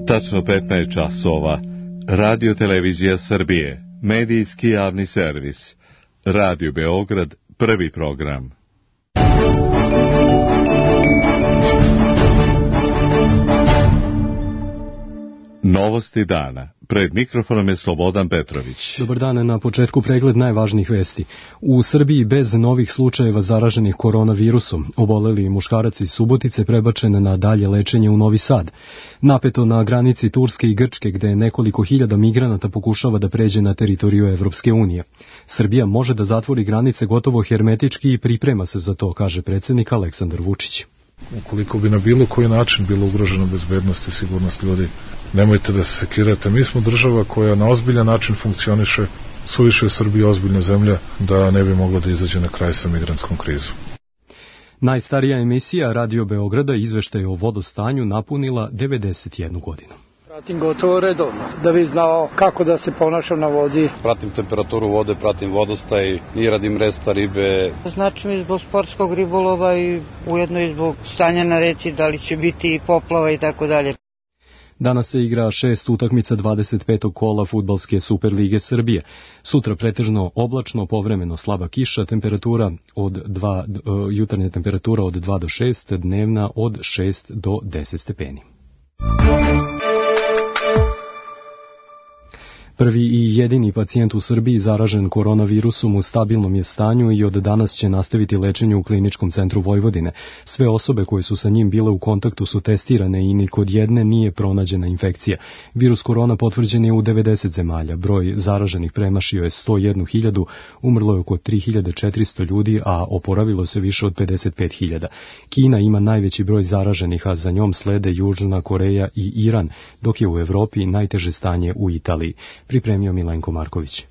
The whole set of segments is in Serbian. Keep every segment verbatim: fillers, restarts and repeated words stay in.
Tačno petnaest časova. Radio Televizija Srbije. Medijski javni servis. Radio Beograd, prvi program. Novosti dana. Pred mikrofonom je Slobodan Petrović. Dobar dan, na početku pregled najvažnijih vesti. U Srbiji bez novih slučajeva zaraženih koronavirusom, oboleli muškarac iz Subotice prebačen na dalje lečenje u Novi Sad. Napeto na granici Turske i Grčke, gde nekoliko hiljada migranata pokušava da pređe na teritoriju Evropske unije. Srbija može da zatvori granice gotovo hermetički i priprema se za to, kaže predsjednik Aleksandar Vučić. Ukoliko bi na bilo koji način bilo ugrožena bezbednost i sigurnost ljudi, nemojte da se sekirate. Mi smo država koja na ozbiljan način funkcioniše, suviše u Srbiji ozbiljna zemlja da ne bi mogla da izađe na kraj sa migrantskom krizom. Najstarija emisija Radio Beograda izveštaj o vodostanju napunila devedeset jednu godinu. Pratim gotovo redovno, da bi znao kako da se ponašam na vodi. Pratim temperaturu vode, pratim vodostaj i radim resta ribe. Znači mi zbog sportskog ribolova i ujedno i zbog stanja na reci, da li će biti poplava i tako dalje. Danas se igra šest utakmica dvadeset petog kola fudbalske Superlige Srbije. Sutra pretežno oblačno, povremeno slaba kiša, temperatura od dva, jutarnja temperatura od dva do šest, dnevna od šest do deset stepeni. Prvi i jedini pacijent u Srbiji zaražen koronavirusom u stabilnom je stanju i od danas će nastaviti lečenje u Kliničkom centru Vojvodine. Sve osobe koje su sa njim bile u kontaktu su testirane i ni kod jedne nije pronađena infekcija. Virus korona potvrđen je u devedeset zemalja. Broj zaraženih premašio je sto jednu hiljadu, umrlo je oko tri hiljade četiristo ljudi, a oporavilo se više od pedeset pet hiljada. Kina ima najveći broj zaraženih, a za njom slede Južna Koreja i Iran, dok je u Evropi najteže stanje u Italiji. Pripremio Milenko Marković.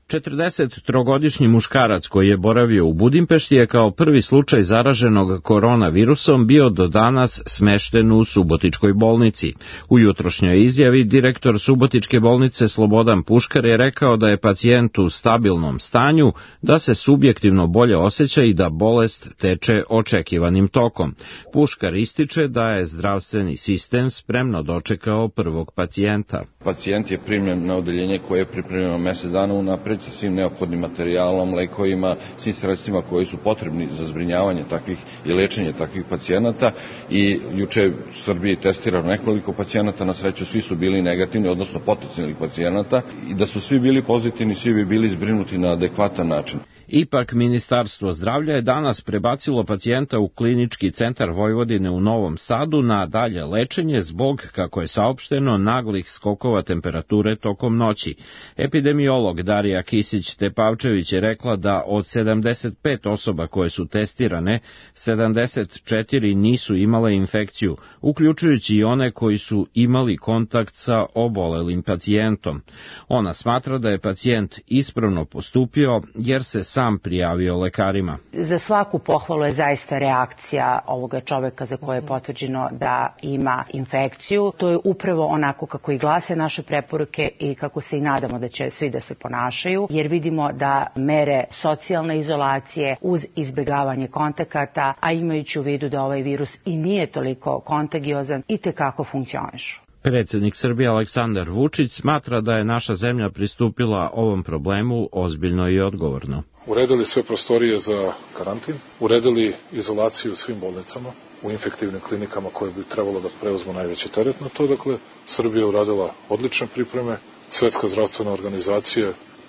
četrdesettrogodišnji muškarac koji je boravio u Budimpešti je kao prvi slučaj zaraženog koronavirusom bio do danas smešten u Subotičkoj bolnici. U jutrošnjoj izjavi direktor Subotičke bolnice Slobodan Puškar je rekao da je pacijent u stabilnom stanju, da se subjektivno bolje osjeća i da bolest teče očekivanim tokom. Puškar ističe da je zdravstveni sistem spremno dočekao prvog pacijenta. Pacijent je primljen na odeljenje koje je pripremljeno mesec dana unapred sa svim neophodnim materijalom, lekovima, svim sredstvima koji su potrebni za zbrinjavanje takvih i lečenje takvih pacijenata i juče u Srbiji testirano nekoliko pacijenata, na sreću svi su bili negativni, odnosno potencijalnih pacijenata i da su svi bili pozitivni, svi bi bili zbrinuti na adekvatan način. Ipak, Ministarstvo zdravlja je danas prebacilo pacijenta u Klinički centar Vojvodine u Novom Sadu na dalje lečenje zbog, kako je saopšteno, naglih skokova temperature tokom noći. Epidemiolog Darija Kisić-Tepavčević je rekla da od sedamdeset pet osoba koje su testirane, sedamdeset četiri nisu imale infekciju, uključujući i one koji su imali kontakt sa obolelim pacijentom. Ona smatra da je pacijent ispravno postupio jer se sam prijavio lekarima. Za svaku pohvalu je zaista reakcija ovoga čoveka za koje je potvrđeno da ima infekciju. To je upravo onako kako i glase naše preporuke i kako se i nadamo da će svi da se ponašaju, jer vidimo da mere socijalne izolacije uz izbjegavanje kontakata, a imajući u vidu da ovaj virus i nije toliko kontagiozan, itekako funkcionišu. Predsjednik Srbije Aleksandar Vučić smatra da je naša zemlja pristupila ovom problemu ozbiljno i odgovorno. Uredili sve prostorije za karantin, uredili izolaciju u svim bolnicama, u infektivnim klinikama koje bi trebalo da preuzmu najveći teret na to. Dakle, Srbija je uradila odlične pripreme, Svetska zdravstvena organizacija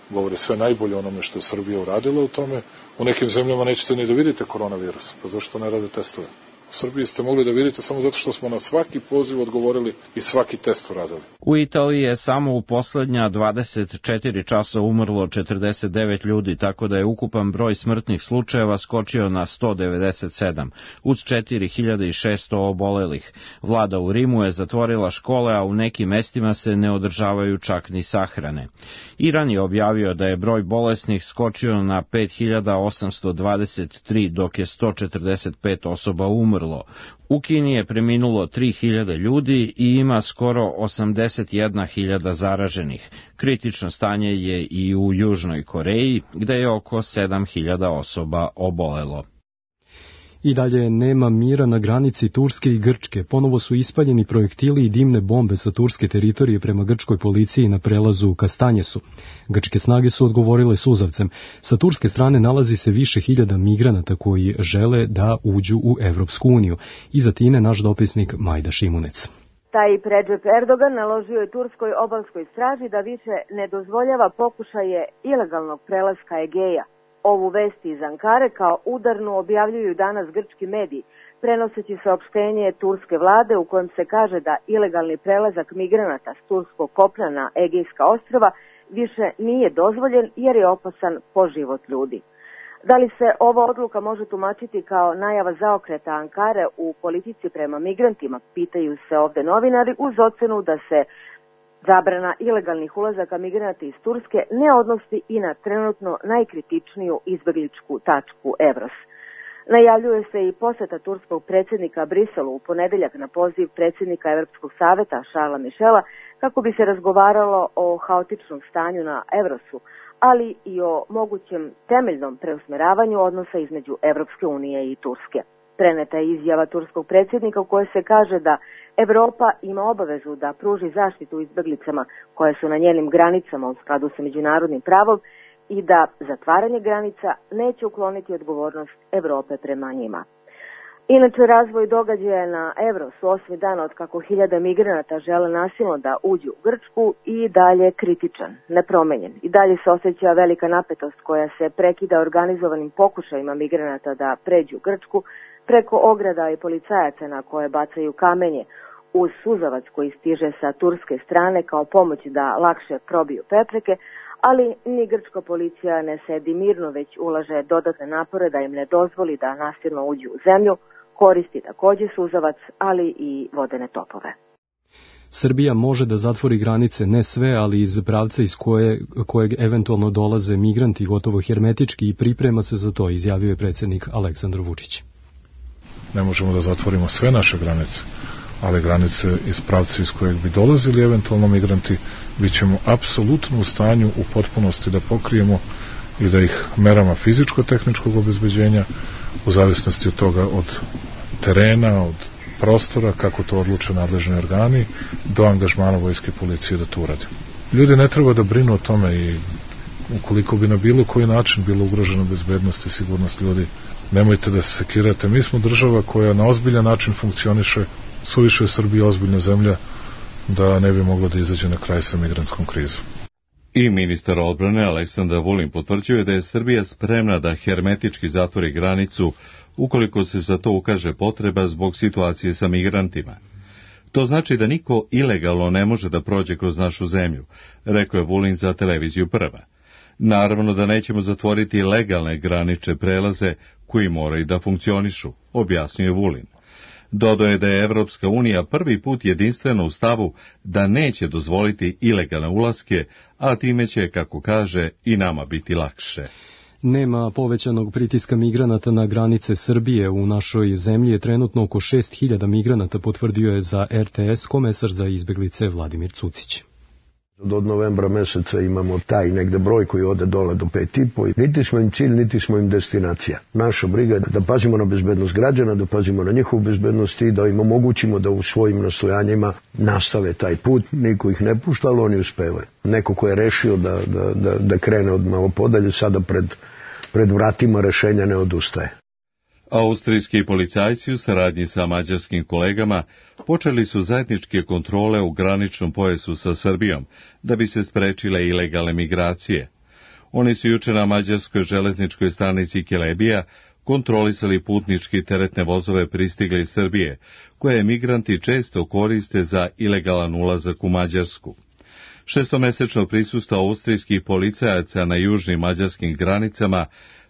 govori sve najbolje onome što je Srbija uradila u tome. U nekim zemljama nećete ni da vidite koronavirus, pa zašto ne rade testove? U Srbiji ste mogli da vidite samo zato što smo na svaki poziv odgovorili i svaki test uradili. U Italiji je samo u poslednja dvadeset četiri časa umrlo četrdeset devet ljudi, tako da je ukupan broj smrtnih slučajeva skočio na sto devedeset sedam, uz četiri hiljade šesto obolelih. Vlada u Rimu je zatvorila škole, a u nekim mestima se ne održavaju čak ni sahrane. Iran je objavio da je broj bolesnih skočio na pet hiljada osamsto dvadeset tri, dok je sto četrdeset pet osoba umrlo. U Kini je preminulo tri hiljade ljudi i ima skoro osamdeset jedna hiljada zaraženih. Kritično stanje je i u Južnoj Koreji, gde je oko sedam hiljada osoba obolelo. I dalje nema mira na granici Turske i Grčke. Ponovo su ispaljeni projektili i dimne bombe sa turske teritorije prema grčkoj policiji na prelazu Kastanjesu. Grčke snage su odgovorile suzavcem. Sa turske strane nalazi se više hiljada migranata koji žele da uđu u Evropsku uniju. Iz Atine naš dopisnik Majda Šimunec. Taj Recep Erdogan naložio je turskoj obalskoj straži da više ne dozvoljava pokušaje ilegalnog prelaska Egeja. Ovu vest iz Ankare kao udarnu objavljuju danas grčki mediji, prenoseći saopštenje turske vlade u kojem se kaže da ilegalni prelazak migranata s turskog kopna na Egejska ostrva više nije dozvoljen jer je opasan po život ljudi. Da li se ova odluka može tumačiti kao najava zaokreta Ankare u politici prema migrantima, pitaju se ovde novinari, uz ocenu da se zabrana ilegalnih ulazaka migranata iz Turske ne odnosi i na trenutno najkritičniju izbegličku tačku Evros. Najavljuje se i poseta turskog predsjednika Briselu u ponedeljak na poziv predsjednika Evropskog saveta Charlesa Michela kako bi se razgovaralo o haotičnom stanju na Evrosu, ali i o mogućem temeljnom preusmeravanju odnosa između Evropske unije i Turske. Preneta je izjava turskog predsjednika u kojoj se kaže da Evropa ima obavezu da pruži zaštitu izbeglicama koje su na njenim granicama u skladu sa međunarodnim pravom i da zatvaranje granica neće ukloniti odgovornost Evrope prema njima. Inače, razvoj događaja na Evrosu osmi dan od kako hiljada migranata žele nasilno da uđu u Grčku i dalje kritičan, nepromenjen. I dalje se osjeća velika napetost koja se prekida organizovanim pokušajima migranata da pređu Grčku preko ograda i policajaca na koje bacaju kamenje, uz suzavac koji stiže sa turske strane kao pomoć da lakše probiju prepreke, ali ni grčka policija ne sedi mirno, već ulaže dodatne napore da im ne dozvoli da nasilno uđu u zemlju, koristi takođe suzavac, ali i vodene topove. Srbija može da zatvori granice, ne sve, ali iz pravca iz koje, kojeg eventualno dolaze migranti gotovo hermetički i priprema se za to, izjavio je predsjednik Aleksandar Vučić. Ne možemo da zatvorimo sve naše granice, ali granice iz pravca iz kojeg bi dolazili eventualno migranti, bit ćemo apsolutno u stanju u potpunosti da pokrijemo i da ih merama fizičko-tehničkog obezbeđenja, u zavisnosti od toga od terena, od prostora, kako to odluče nadležni organi, do angažmana vojske i policije da to uradi. Ljudi ne treba da brinu o tome i ukoliko bi na bilo koji način bilo ugrožena bezbednost i sigurnost ljudi, nemojte da se sekirate. Mi smo država koja na ozbiljan način funkcioniše, suviše je Srbija ozbiljna zemlja da ne bi moglo da izađe na kraj sa migrantskom krizom. I ministar odbrane Aleksandar Vulin potvrđuje da je Srbija spremna da hermetički zatvori granicu ukoliko se za to ukaže potreba zbog situacije sa migrantima. To znači da niko ilegalno ne može da prođe kroz našu zemlju, rekao je Vulin za televiziju Prva. Naravno da nećemo zatvoriti legalne granične prelaze koji moraju da funkcionišu, objasnio je Vulin. Dodao je da je Evropska unija prvi put jedinstveno u stavu da neće dozvoliti ilegalne ulaske, a time će, kako kaže, i nama biti lakše. Nema povećanog pritiska migranata na granice Srbije. U našoj zemlji je trenutno oko šest hiljada migranata, potvrdio je za R T S komesar za izbeglice Vladimir Cucić. Od novembra meseca imamo taj negde broj koji ode dole do pet i po. Niti smo im cilj, niti smo im destinacija. Naša briga je da pazimo na bezbednost građana, da pazimo na njihovu bezbednost i da im omogućimo da u svojim nastojanjima nastave taj put. Niko ih ne pušta, ali oni uspevaju. Neko ko je rešio da, da, da, da krene od malo podalje, sada pred, pred vratima rešenja ne odustaje. Austrijski policajci u saradnji sa mađarskim kolegama počeli su zajedničke kontrole u graničnom pojasu sa Srbijom da bi se sprečile ilegalne migracije. Oni su juče na mađarskoj železničkoj stanici Kelebija kontrolisali putnički teretne vozove pristigli iz Srbije, koje migranti često koriste za ilegalan ulazak u Mađarsku. Šestomesečno prisustvo austrijskih policajaca na južnim mađarskim granicama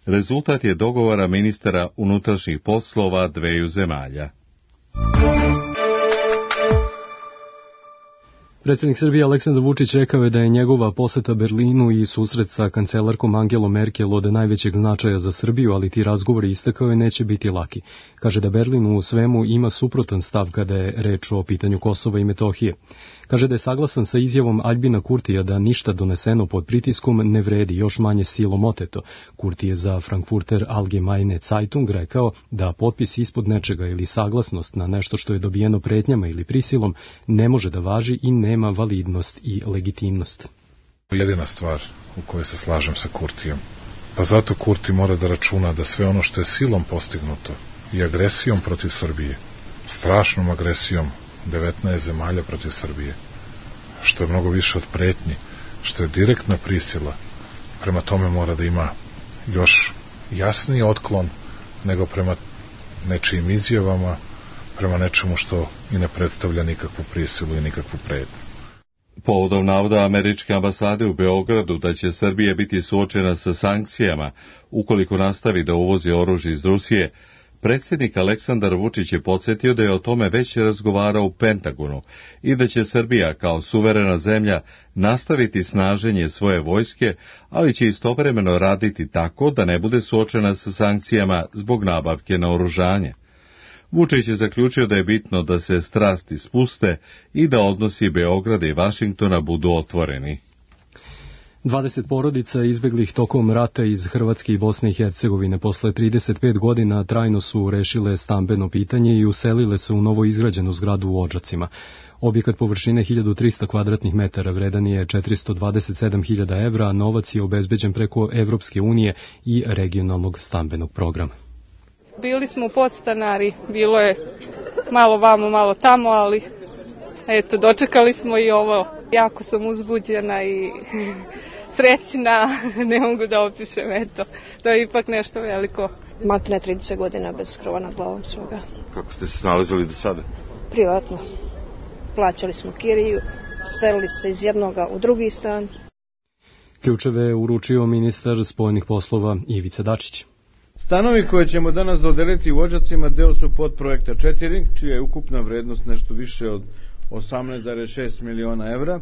rezultat je dogovora ministara unutrašnjih poslova dveju zemalja. Predsjednik Srbije Aleksandar Vučić rekao je da je njegova poseta Berlinu i susret sa kancelarkom Angelom Merkel od najvećeg značaja za Srbiju, ali ti razgovori, istakao je, neće biti laki. Kaže da Berlin u svemu ima suprotan stav kada je reč o pitanju Kosova i Metohije. Kaže da je saglasan sa izjavom Aljbina Kurtija da ništa doneseno pod pritiskom ne vredi, još manje silom oteto. Kurti je za Frankfurter Allgemeine Zeitung rekao da potpis ispod nečega ili saglasnost na nešto što je dobijeno pretnjama ili prisilom ne može da važi i nema validnost i legitimnost. Jedina stvar u kojoj se slažem sa Kurtijem. Pa zato Kurti mora da računa da sve ono što je silom postignuto i agresijom protiv Srbije, strašnom agresijom devetnaest zemalja protiv Srbije, što je mnogo više od pretnji, što je direktna prisila, prema tome mora da ima još jasniji otklon nego prema nečijim izjavama, prema nečemu što i ne predstavlja nikakvu prisilu i nikakvu pretnju. Povodom navoda američke ambasade u Beogradu da će Srbija biti suočena sa sankcijama ukoliko nastavi da uvozi oružje iz Rusije, predsjednik Aleksandar Vučić je podsjetio da je o tome već razgovarao u Pentagonu i da će Srbija kao suverena zemlja nastaviti snaženje svoje vojske, ali će istovremeno raditi tako da ne bude suočena sa sankcijama zbog nabavke naoružanja. Vučić je zaključio da je bitno da se strasti spuste i da odnosi Beograda i Vašingtona budu otvoreni. dvadeset porodica izbeglih tokom rata iz Hrvatske i Bosne i Hercegovine posle trideset pet godina trajno su rešile stambeno pitanje i uselile se u novo izgrađenu zgradu u Odžacima. Objekat površine hiljadu trista kvadratnih metara vredan je četiristo dvadeset sedam hiljada evra, a novac je obezbeđen preko Evropske unije i regionalnog stambenog programa. Bili smo podstanari, bilo je malo vamo, malo tamo, ali eto, dočekali smo i ovo. Jako sam uzbuđena i srećna, ne mogu da opišem, eto, to je ipak nešto veliko. Maltene trideset godina bez krova nad glavom svoga. Kako ste se snalazili do sada? Privatno. Plaćali smo kiriju, selili se iz jednoga u drugi stan. Ključeve je uručio ministar spoljnih poslova Ivica Dačić. Stanovi koje ćemo danas dodeliti u Odžacima deo su podprojekta četiri, čija je ukupna vrednost nešto više od osamnaest zarez šest miliona evra.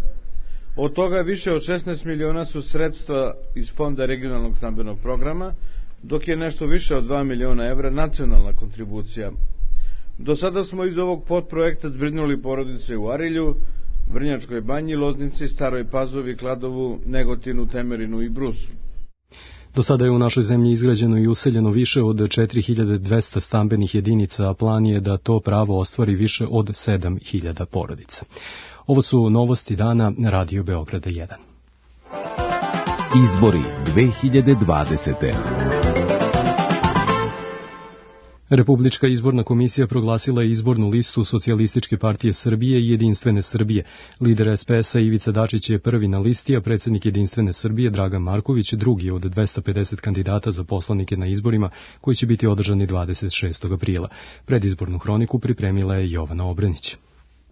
Od toga više od šesnaest miliona su sredstva iz Fonda regionalnog stambenog programa, dok je nešto više od dva miliona evra nacionalna kontribucija. Do sada smo iz ovog podprojekta zbrinuli porodice u Arilju, Vrnjačkoj banji, Loznici, Staroj Pazovi, Kladovu, Negotinu, Temerinu i Brusu. Do sada je u našoj zemlji izgrađeno i useljeno više od četiri hiljade dvesta stambenih jedinica, a plan je da to pravo ostvari više od sedam hiljada porodica. Ovo su novosti dana na Radio Beograda jedan. Izbori dve hiljade dvadesete. Republička izborna komisija proglasila je izbornu listu Socijalističke partije Srbije i Jedinstvene Srbije. Lider es pe es-a Ivica Dačić je prvi na listi, a predsjednik Jedinstvene Srbije Dragan Marković drugi od dvesta pedeset kandidata za poslanike na izborima koji će biti održani dvadeset šestog aprila. Predizbornu hroniku pripremila je Jovana Obrenić.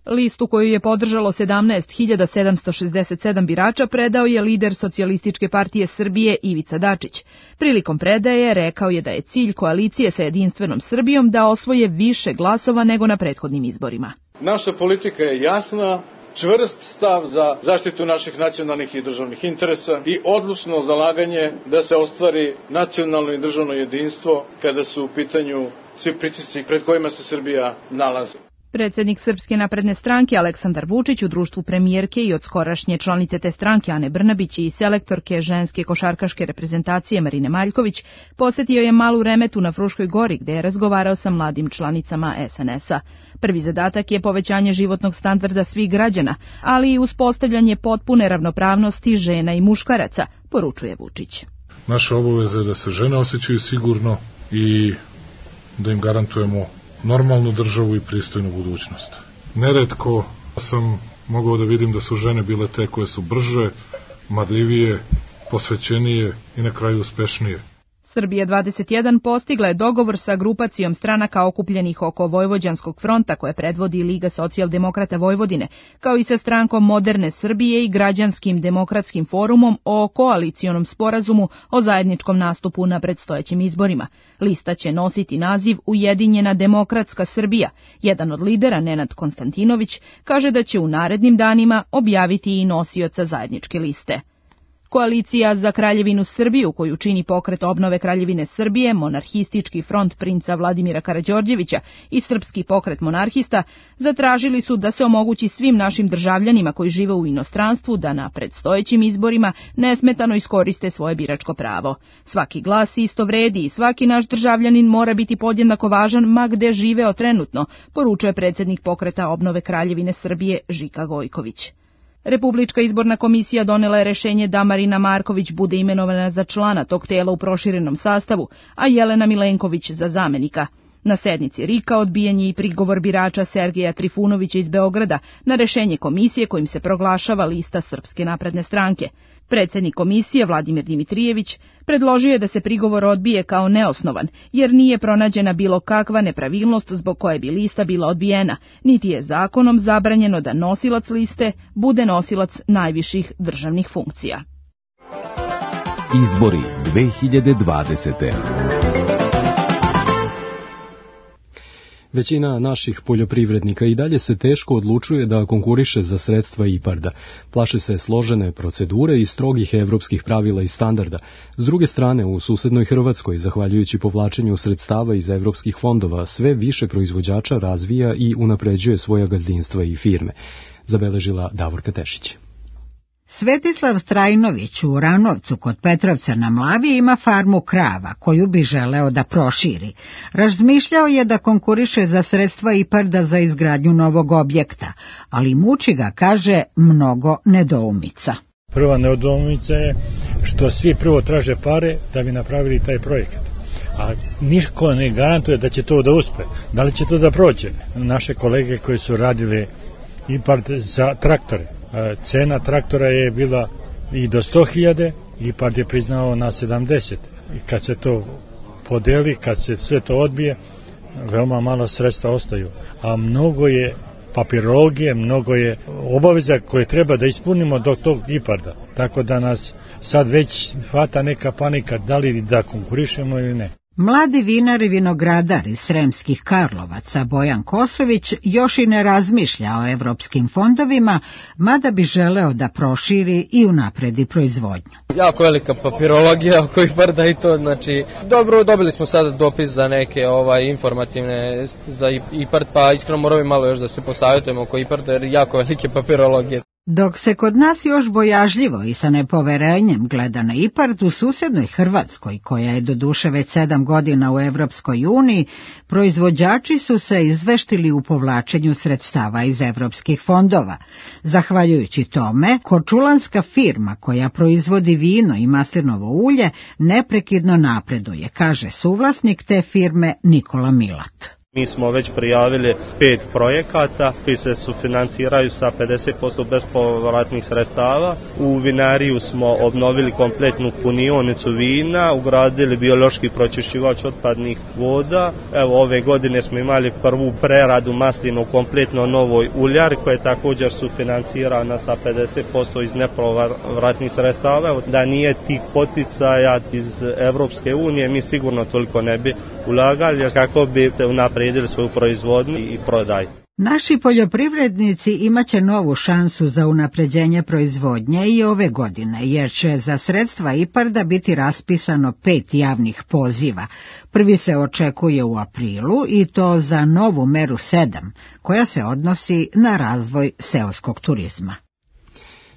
Listu koju je podržalo sedamnaest hiljada sedamsto šezdeset sedam birača predao je lider Socijalističke partije Srbije Ivica Dačić. Prilikom predaje rekao je da je cilj koalicije sa Jedinstvenom Srbijom da osvoje više glasova nego na prethodnim izborima. Naša politika je jasna, čvrst stav za zaštitu naših nacionalnih i državnih interesa i odlučno zalaganje da se ostvari nacionalno i državno jedinstvo kada su u pitanju svi pritisci pred kojima se Srbija nalazi. Predsjednik Srpske napredne stranke Aleksandar Vučić u društvu premijerke i od skorašnje članice te stranke Ane Brnabić i selektorke ženske košarkaške reprezentacije Marine Maljković posjetio je Malu Remetu na Fruškoj gori gde je razgovarao sa mladim članicama es en es-a. Prvi zadatak je povećanje životnog standarda svih građana, ali i uspostavljanje potpune ravnopravnosti žena i muškaraca, poručuje Vučić. Naša obaveza je da se žene osjećaju sigurno i da im garantujemo normalnu državu i pristojnu budućnost. Neretko sam mogao da vidim da su žene bile te koje su brže, marljivije, posvećenije i na kraju uspešnije. Srbija dvadeset jedan postigla je dogovor sa grupacijom stranaka okupljenih oko Vojvođanskog fronta koje predvodi Liga socijaldemokrata Vojvodine, kao i sa strankom Moderne Srbije i Građanskim demokratskim forumom o koalicijonom sporazumu o zajedničkom nastupu na predstojećim izborima. Lista će nositi naziv Ujedinjena demokratska Srbija. Jedan od lidera, Nenad Konstantinović, kaže da će u narednim danima objaviti i nosioca zajedničke liste. Koalicija za Kraljevinu Srbiju, koju čini Pokret obnove Kraljevine Srbije, Monarhistički front princa Vladimira Karađorđevića i Srpski pokret monarhista, zatražili su da se omogući svim našim državljanima koji žive u inostranstvu da na predstojećim izborima nesmetano iskoriste svoje biračko pravo. Svaki glas isto vredi i svaki naš državljanin mora biti podjednako važan ma gde živeo trenutno, poručuje predsjednik Pokreta obnove Kraljevine Srbije Žika Gojković. Republička izborna komisija donela je rešenje da Marina Marković bude imenovana za člana tog tela u proširenom sastavu, a Jelena Milenković za zamenika. Na sednici R I K-a odbijen je i prigovor birača Sergeja Trifunovića iz Beograda na rešenje komisije kojim se proglašava lista Srpske napredne stranke. Predsjednik komisije Vladimir Dimitrijević predložio je da se prigovor odbije kao neosnovan, jer nije pronađena bilo kakva nepravilnost zbog koje bi lista bila odbijena, niti je zakonom zabranjeno da nosilac liste bude nosilac najviših državnih funkcija. Izbori dve hiljade dvadesete. Većina naših poljoprivrednika i dalje se teško odlučuje da konkuriše za sredstva IPARD-a. Plaše se složene procedure i strogih evropskih pravila i standarda. S druge strane, u susednoj Hrvatskoj, zahvaljujući povlačenju sredstava iz evropskih fondova, sve više proizvođača razvija i unapređuje svoja gazdinstva i firme. Zabeležila Davorka Tešić. Svetislav Strajnović u Ranovcu kod Petrovca na Mlavi ima farmu krava koju bi želeo da proširi. Razmišljao je da konkuriše za sredstva IPARD-a za izgradnju novog objekta, ali muči ga, kaže, mnogo nedoumica. Prva nedoumica je što svi prvo traže pare da bi napravili taj projekat. A niko ne garantuje da će to da uspe. Da li će to da prođe? Naše kolege koji su radili IPARD za traktore, cena traktora je bila i do sto hiljada, IPARD je priznao na sedamdeset. I kad se to podeli, kad se sve to odbije, veoma malo sredstva ostaju. A mnogo je papirologije, mnogo je obaveza koje treba da ispunimo do tog IPARD-a. Tako da nas sad već hvata neka panika da li da konkurišemo ili ne. Mladi vinar i vinogradar iz Sremskih Karlovaca Bojan Kosović još i ne razmišlja o evropskim fondovima, mada bi želeo da proširi i unapredi proizvodnju. Jako velika papirologija oko IPARD-a i to, znači, dobro, dobili smo sada dopis za neke ovaj informativne za IPARD, pa iskreno moramo malo još da se posavjetujemo oko IPARD-a jer jako velike papirologije. Dok se kod nas još bojažljivo i sa nepoverenjem gleda na IPARD, u susednoj Hrvatskoj, koja je doduše već sedam godina u Evropskoj uniji, proizvođači su se izveštili u povlačenju sredstava iz evropskih fondova. Zahvaljujući tome, korčulanska firma koja proizvodi vino i maslinovo ulje neprekidno napreduje, kaže suvlasnik te firme Nikola Milat. Mi smo već prijavili pet projekata koji se sufinanciraju sa pedeset posto bespovratnih sredstava. U vinariju smo obnovili kompletnu punionicu vina, ugradili biološki pročišćivač otpadnih voda. Evo, ove godine smo imali prvu preradu maslinu kompletno novoj uljari koja je također sufinancirana sa pedeset posto iz nepovratnih sredstava. Evo, da nije tih poticaja iz Evropske unije, mi sigurno toliko ne bi ulagali kako bi unapredili svoju proizvodnju i prodaj. Naši poljoprivrednici imaće novu šansu za unapređenje proizvodnje i ove godine, jer će za sredstva IPARD-a biti raspisano pet javnih poziva. Prvi se očekuje u aprilu i to za novu meru sedam, koja se odnosi na razvoj seoskog turizma.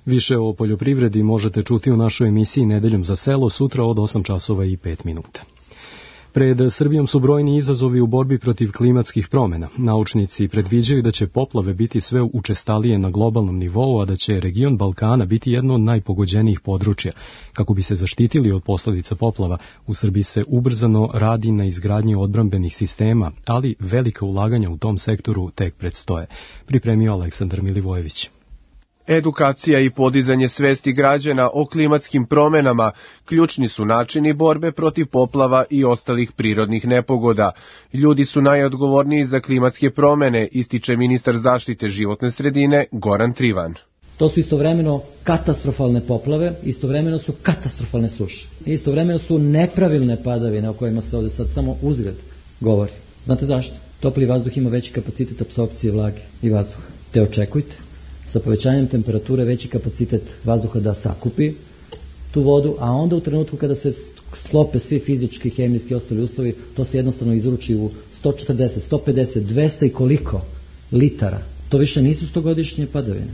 Više o poljoprivredi možete čuti u našoj emisiji Nedeljom za selo sutra od osam časova i pet minuta. Pred Srbijom su brojni izazovi u borbi protiv klimatskih promjena. Naučnici predviđaju da će poplave biti sve učestalije na globalnom nivou, a da će region Balkana biti jedno od najpogođenijih područja. Kako bi se zaštitili od posljedica poplava, u Srbiji se ubrzano radi na izgradnji odbrambenih sistema, ali velika ulaganja u tom sektoru tek predstoje. Pripremio Aleksandar Milivojević. Edukacija i podizanje svesti građana o klimatskim promjenama ključni su načini borbe protiv poplava i ostalih prirodnih nepogoda. Ljudi su najodgovorniji za klimatske promjene, ističe ministar zaštite životne sredine Goran Trivan. To su istovremeno katastrofalne poplave, istovremeno su katastrofalne suše. Istovremeno su nepravilne padavine o kojima se ovdje sad samo uzgred govori. Znate zašto? Topli vazduh ima veći kapacitet apsorpcije vlage i vazduha. Te očekujte sa povećanjem temperature veći kapacitet vazduha da sakupi tu vodu, a onda u trenutku kada se sklope svi fizički, hemijski i ostali uslovi, to se jednostavno izruči u sto četrdeset, sto pedeset, dvesta i koliko litara. To više nisu stogodišnje padavine.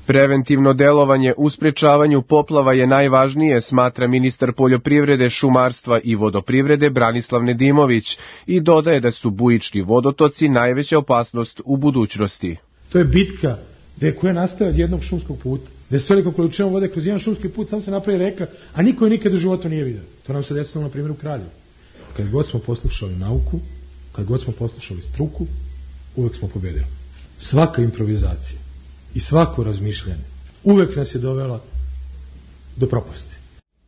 Preventivno delovanje u sprečavanju poplava je najvažnije, smatra ministar poljoprivrede, šumarstva i vodoprivrede Branislav Nedimović i dodaje da su bujični vodotoci najveća opasnost u budućnosti. To je bitka gde koja nastaje od jednog šumskog puta, gde s velikom količinom vode kroz jedan šumski put samo se napravi reka, a niko je nikad u životu nije vidio. To nam se desilo na primjer u Kraljevu. Kad god smo poslušali nauku, kad god smo poslušali struku, uvek smo pobedili. Svaka improvizacija i svako razmišljanje uvek nas je dovela do propasti.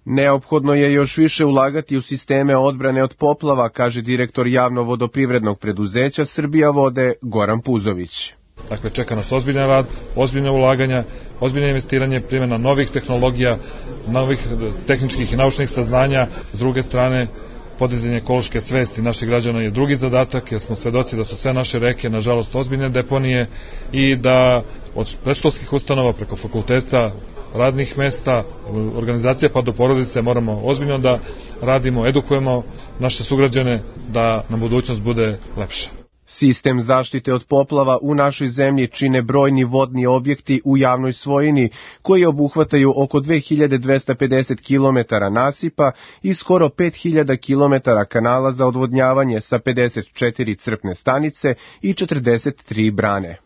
Neophodno je još više ulagati u sisteme odbrane od poplava, kaže direktor javno-vodoprivrednog preduzeća Srbija vode Goran Puzović. Dakle, čeka nas ozbiljan rad, ozbiljne ulaganja, ozbiljno investiranje, primjena novih tehnologija, novih tehničkih i naučnih saznanja. S druge strane, podizanje ekološke svesti naših građana je drugi zadatak, jer smo svedoci da su sve naše reke, nažalost, ozbiljne deponije i da od predškolskih ustanova preko fakulteta, radnih mesta, organizacija pa do porodice moramo ozbiljno da radimo, edukujemo naše sugrađane da nam budućnost bude lepša. Sistem zaštite od poplava u našoj zemlji čine brojni vodni objekti u javnoj svojini, koji obuhvataju oko dve hiljade dvesta pedeset kilometara nasipa i skoro pet hiljada kilometara kanala za odvodnjavanje sa pedeset četiri crpne stanice i četrdeset tri brane.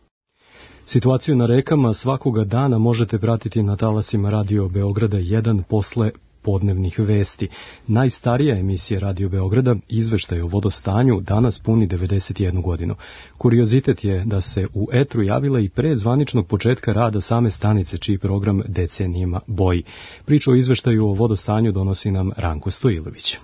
Situaciju na rekama svakoga dana možete pratiti na talasima Radio Beograda jedan posle podnevnih vesti. Najstarija emisija Radio Beograda, izveštaj o vodostanju, danas puni devedeset jednu godinu. Kuriozitet je da se u etru javila i pre zvaničnog početka rada same stanice, čiji program decenijima boji. Priču o izveštaju o vodostanju donosi nam Ranko Stojilović.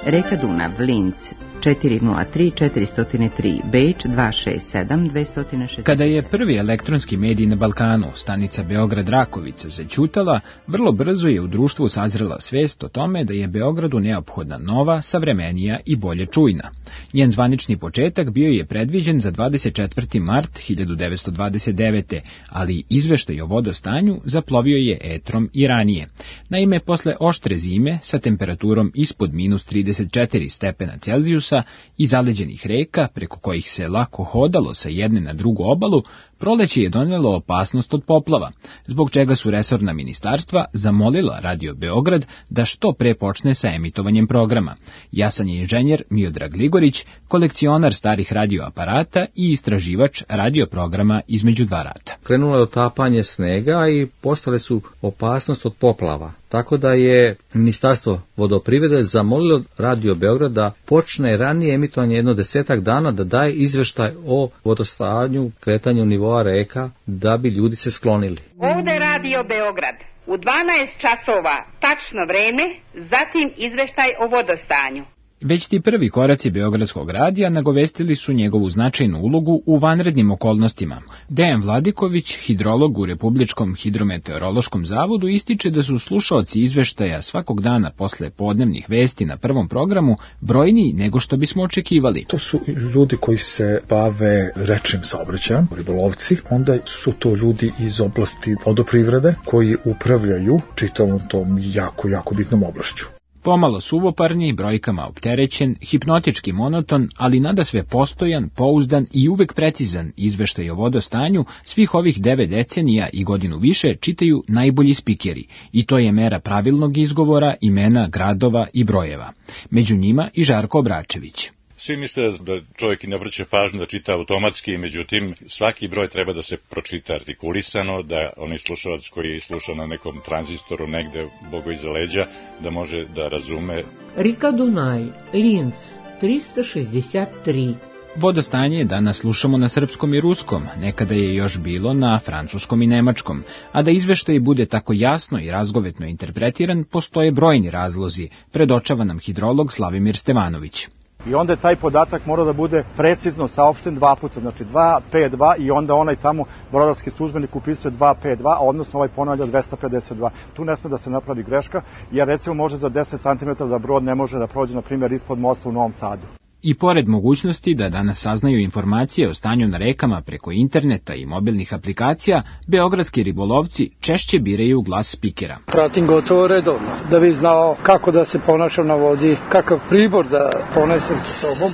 Reka Dunav, Linz, četiri nula tri četiri nula tri, Beč dva šest sedam dve šest. Kada je prvi elektronski medij na Balkanu, stanica Beograd-Rakovica, zaćutala, vrlo brzo je u društvu sazrela svest o tome da je Beogradu neophodna nova, savremenija i bolje čujna. Njen zvanični početak bio je predviđen za dvadeset četvrti mart hiljadu devetsto dvadeset devete. ali izveštaj o vodostanju zaplovio je etrom i ranije. Naime, posle oštre zime sa temperaturom ispod minus trideset četiri stepena Celzijusa i zaleđenih reka, preko kojih se lako hodalo sa jedne na drugu obalu, proleće je donelo opasnost od poplava, zbog čega su resorna ministarstva zamolila Radio Beograd da što pre počne sa emitovanjem programa. Jasan je inženjer Miodrag Ligorić, kolekcionar starih radioaparata i istraživač radioprograma Između dva rata. Krenulo je otapanje snega i postale su opasnost od poplava. Tako da je Ministarstvo vodoprivrede zamolilo Radio Beograd da počne ranije emitovanje jedno desetak dana da daje izveštaj o vodostanju, kretanju nivoa reka, da bi ljudi se sklonili. Ovde Radio Beograd u dvanaest časova tačno vreme, zatim izveštaj o vodostanju. Već ti prvi koraci Beogradskog radija nagovestili su njegovu značajnu ulogu u vanrednim okolnostima. Dejan Vladiković, hidrolog u Republičkom hidrometeorološkom zavodu, ističe da su slušaoci izveštaja svakog dana posle podnevnih vesti na prvom programu brojniji nego što bismo očekivali. To su ljudi koji se bave rečnim saobraćajem, ribolovci, onda su to ljudi iz oblasti vodoprivrede koji upravljaju čitavom tom jako, jako bitnom oblašću. Pomalo suvoparni, brojkama opterećen, hipnotički monoton, ali nadasve postojan, pouzdan i uvek precizan izveštaj o vodostanju svih ovih devet decenija i godinu više čitaju najbolji spikeri, i to je mera pravilnog izgovora imena gradova i brojeva. Među njima i Žarko Obračević. Svi misle da čovjek i ne obraća pažnju da čita automatski, međutim svaki broj treba da se pročita artikulisano, da onaj slušalac koji sluša na nekom tranzistoru negde bogo iza leđa, da može da razume. Rika Dunaj, Linz, trista šezdeset tri. Vodostanje danas slušamo na srpskom i ruskom, nekada je još bilo na francuskom i nemačkom, a da izveštaj bude tako jasno i razgovetno interpretiran, postoje brojni razlozi, predočava nam hidrolog Slavimir Stevanović. I onda je taj podatak mora da bude precizno saopšten dva puta, znači dva pet dva i onda onaj tamo brodarski službenik upisuje dva pet dva, odnosno ovaj ponavlja dvesta pedeset dva. Tu ne sme da se napravi greška, jer recimo može za deset centimetara da brod ne može da prođe, na primjer, ispod mosta u Novom Sadu. I pored mogućnosti da danas saznaju informacije o stanju na rekama preko interneta i mobilnih aplikacija, beogradski ribolovci češće biraju glas spikera. Pratim gotovo redovno, da bi znao kako da se ponašam na vodi, kakav pribor da ponesem sa sobom.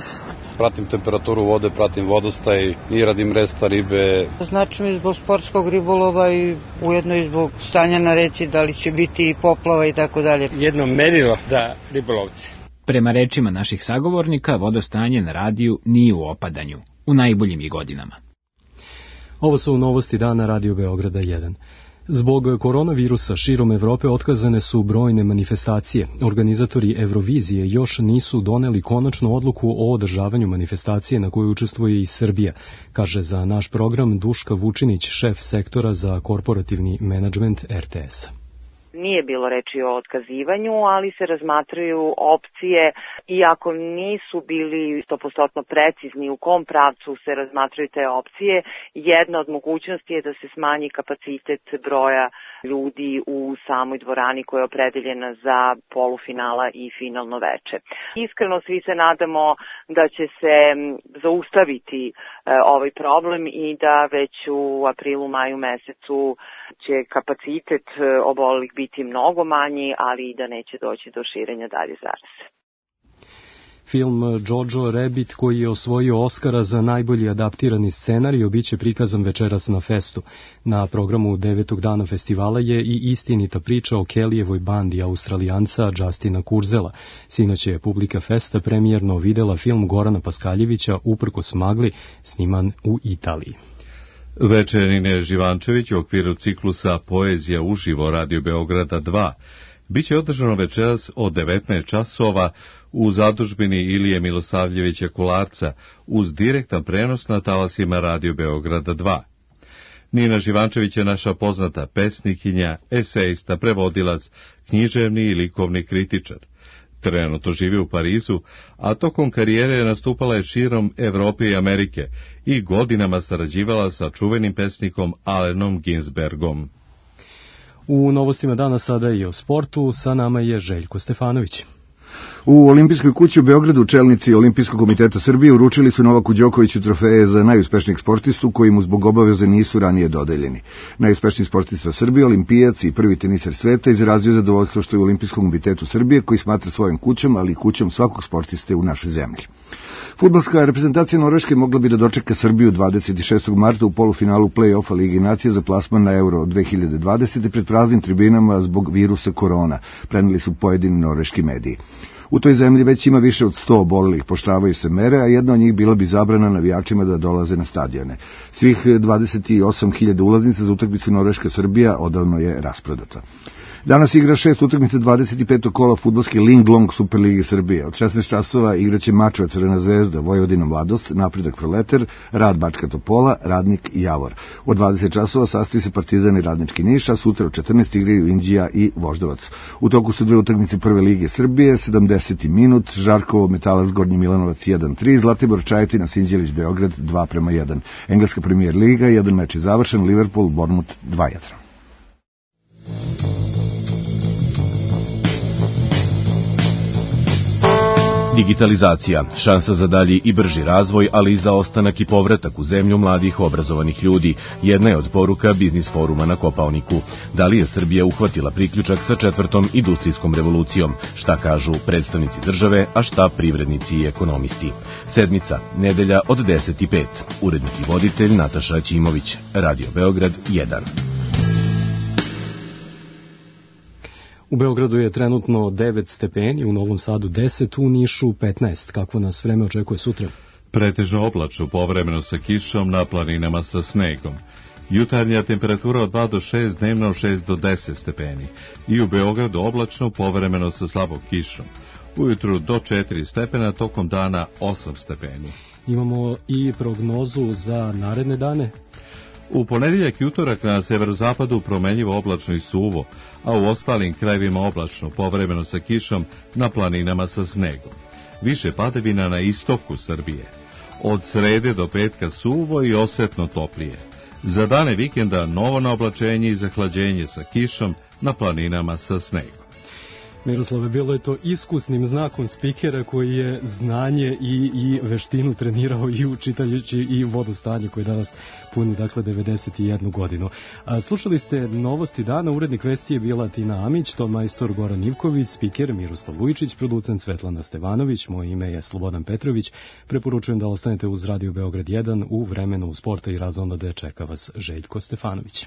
Pratim temperaturu vode, pratim vodostaj i radim resta ribe. Znači mi zbog sportskog ribolova i ujedno i zbog stanja na reci, da li će biti poplava i tako dalje. Jedno merilo za ribolovci. Prema rečima naših sagovornika, vodostanje na radiju nije u opadanju, u najboljim je godinama. Ovo su novosti dana Radio Beograda jedan. Zbog koronavirusa širom Evrope otkazane su brojne manifestacije. Organizatori Eurovizije još nisu doneli konačnu odluku o održavanju manifestacije na kojoj učestvuje i Srbija, kaže za naš program Duška Vučinić, šef sektora za korporativni menadžment er te es-a. Nije bilo reči o otkazivanju, ali se razmatraju opcije, iako nisu bili sto posto precizni u kom pravcu se razmatraju te opcije. Jedna od mogućnosti je da se smanji kapacitet broja ljudi u samoj dvorani koja je opredeljena za polufinala i finalno veče. Iskreno svi se nadamo da će se zaustaviti ovaj problem i da već u aprilu, maju mesecu će kapacitet obolelih biti mnogo manji, ali i da neće doći do širenja dalje zaraze. Film Jojo Rabbit, koji je osvojio Oskara za najbolji adaptirani scenarij, biće prikazan večeras na festu. Na programu devetog dana festivala je i istinita priča o Kellyjevoj bandi Australijanca Justina Kurzela. Sinoć je publika festa premijerno videla film Gorana Paskaljevića Uprkos magli, sniman u Italiji. Večer Nine Živančević u okviru ciklusa Poezija uživo Radio Beograda dva biće održano večeras od devetnaest časova u zadužbini Ilije Milosavljevića Kularca uz direktan prenos na talasima Radio Beograda dva. Nina Živančević je naša poznata pesnikinja, esejista, prevodilac, književni i likovni kritičar. Trenutno živi u Parizu, a tokom karijere nastupala je širom Evrope i Amerike i godinama sarađivala sa čuvenim pesnikom Allenom Ginsbergom. U novostima dana sada i o sportu, sa nama je Željko Stefanović. U Olimpijskoj kući u Beogradu čelnici Olimpijskog komiteta Srbije uručili su Novaku Đokoviću trofeje za najuspešnijeg sportistu koji mu zbog obaveze nisu ranije dodeljeni. Najuspešniji sportista Srbije, olimpijac i prvi teniser sveta, izrazio zadovoljstvo što je u Olimpijskom komitetu Srbije, koji smatra svojom kućom, ali i kućom svakog sportiste u našoj zemlji. Fudbalska reprezentacija Norveške mogla bi da dočeka Srbiju dvadeset šestog marta u polufinalu play-offa Ligi nacija za plasman na Euro dve hiljade dvadesete pred praznim tribinama zbog virusa korona, preneli su pojedini norveški mediji. U toj zemlji već ima više od sto obolelih, poštravaju se mere, a jedna od njih bila bi zabrana navijačima da dolaze na stadione. Svih dvadeset osam hiljada ulaznica za utakmicu Norveška-Srbija odavno je rasprodata. Danas igra šest utakmica dvadeset petog kola fudbalske Linglong Superlige Srbije. Od šesnaest časova igraće Mačva Crvena zvezda, Vojvodina Mladost, Napredak Proletar, Rad Bačka Topola, Radnik i Javor. Od dvadeset časova sastoji se Partizan i Radnički Niš, a sutra od četrnaest igraju Inđija i Voždovac. U toku su dve utakmice Prve lige Srbije, sedamdeseti minut, Žarkovo Metalac Gornji Milanovac jedan tri, Zlatibor Čajetina Sinđelić Beograd dva prema jedan. Engleska Premier liga, jedan meč je završen, Liverpool Bournemouth dva jedan. Digitalizacija, šansa za dalji i brži razvoj, ali i za ostanak i povratak u zemlju mladih obrazovanih ljudi, jedna je od poruka Biznis foruma na Kopaoniku. Da li je Srbija uhvatila priključak sa četvrtom industrijskom revolucijom? Šta kažu predstavnici države, a šta privrednici i ekonomisti? Sedmica, nedelja od deset i pet. Urednik i voditelj Nataša Ćimović. Radio Beograd jedan. U Beogradu je trenutno devet stepeni, u Novom Sadu deset, u Nišu petnaest. Kakvo nas vreme očekuje sutra? Pretežno oblačno, povremeno sa kišom, na planinama sa snegom. Jutarnja temperatura od dva do šest, dnevno šest do deset stepeni. I u Beogradu oblačno, povremeno sa slabom kišom. Ujutru do četiri stepena, tokom dana osam stepeni. Imamo i prognozu za naredne dane. U ponedjeljak i utorak na severozapadu promenljivo oblačno i suvo, a u ostalim krajevima oblačno, povremeno sa kišom, na planinama sa snegom. Više padavina na istoku Srbije. Od srede do petka suvo i osetno toplije. Za dane vikenda novo naoblačenje i zahlađenje sa kišom, na planinama sa snegom. Miroslave, bilo je to iskusnim znakom spikera koji je znanje i, i veštinu trenirao i učitajući i vodostanje koji danas puni, dakle, devedeset jednu godinu. A, slušali ste novosti dana, urednik vesti je bila Tina Amić, ton majstor Goran Ivković, spiker Miroslav Vujčić, producent Svetlana Stevanović, moje ime je Slobodan Petrović. Preporučujem da ostanete uz Radio Beograd jedan u vremenu sporta i razonode čeka vas Željko Stefanović.